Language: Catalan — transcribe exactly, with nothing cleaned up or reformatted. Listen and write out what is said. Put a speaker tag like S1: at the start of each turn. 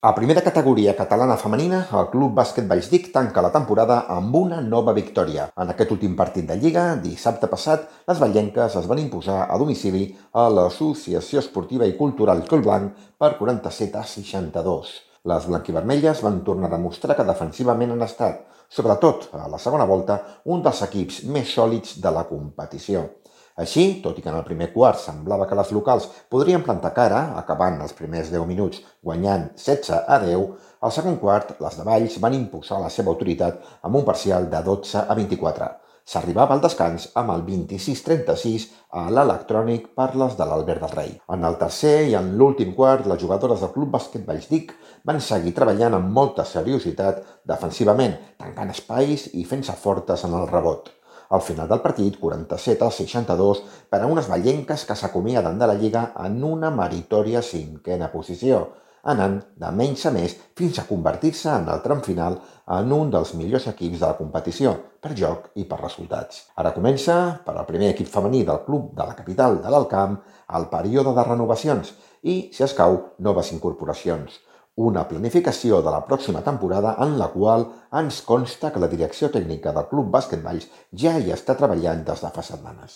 S1: A primera categoria catalana femenina, el Club Bàsquet Vallsdic tanca la temporada amb una nova victòria. En aquest últim partit de Lliga, dissabte passat, les vallenques es van imposar a domicili a l'Associació Esportiva i Cultural Collblanc per quaranta-set a seixanta-dos. Les blanquivermelles van tornar a demostrar que defensivament han estat, sobretot a la segona volta, un dels equips més sòlids de la competició. Així, tot i que en el primer quart semblava que les locals podrien plantar cara, acabant els primers deu minuts guanyant setze a deu, al segon quart les de Valls van imposar la seva autoritat amb un parcial de dotze a vint-i-quatre. S'arribava al descans amb el vint-i-sis trenta-sis a l'electrònic per les de l'Albert del Rei. En el tercer i en l'últim quart, les jugadores del Club Bàsquet Vallsdic van seguir treballant amb molta seriositat defensivament, tancant espais i fent-se fortes en el rebot. Al final del partit, quaranta-set a seixanta-dos, per a unes vallenques que s'acomiaden de la Lliga en una meritòria cinquena posició, anant de menys a més fins a convertir-se en el tram final en un dels millors equips de la competició, per joc i per resultats. Ara comença, per al primer equip femení del club de la capital de l'Alt Camp, el període de renovacions i, si escau, noves incorporacions. Una planificació de la pròxima temporada en la qual ens consta que la direcció tècnica del Club Bàsquet Valls ja hi està treballant des de fa setmanes.